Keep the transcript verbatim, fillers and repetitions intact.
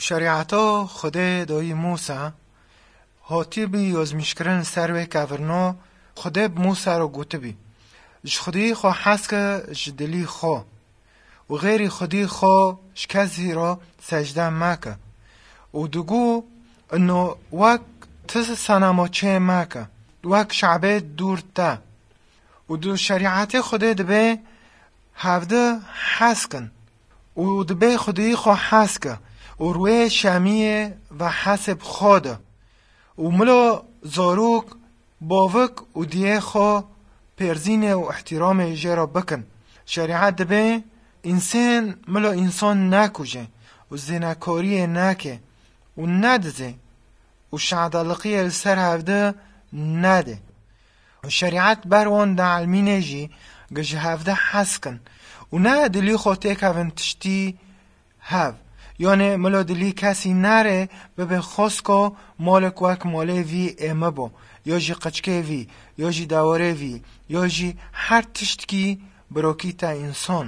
Şerîeta Xwedê dayî Mûsa hatî bî yazmîşkirin ser wê kevirno. Xwedê bi Mûsa re gotibî, ji Xwedî xwe hes ke ji dilî xwe û xêrî Xwedî xwe ji kesî re secde meke. Û digo, ino wek ti senema çê meke, wek şabê dûr te. Û du şerîetê Xwedê dibê hevdi hes kin. Û dibê Xwedî xwe hes ke û rûyê şemiyê ve hesê bi xwe de. Û milo zarok, bavik û diyê xwe pêrzînê û ihtiramê jê re bikin. Şerîet dibê însan milo însan nekuje û zênekariyê neke û nedizê û şadaliqiyê li ser hevdi nede. Û şerîet ber wan dielmîne jî ge ji hevdi hes kin û ne dilî xwe têkevin tiştî hev. Yanê milo dilî kesî nere bibe xwest ku malik wek malê vî ê min bo, ya jî qiçkê vî, ya jî dewarê vî, ya jî her tiştkî birokî te însan.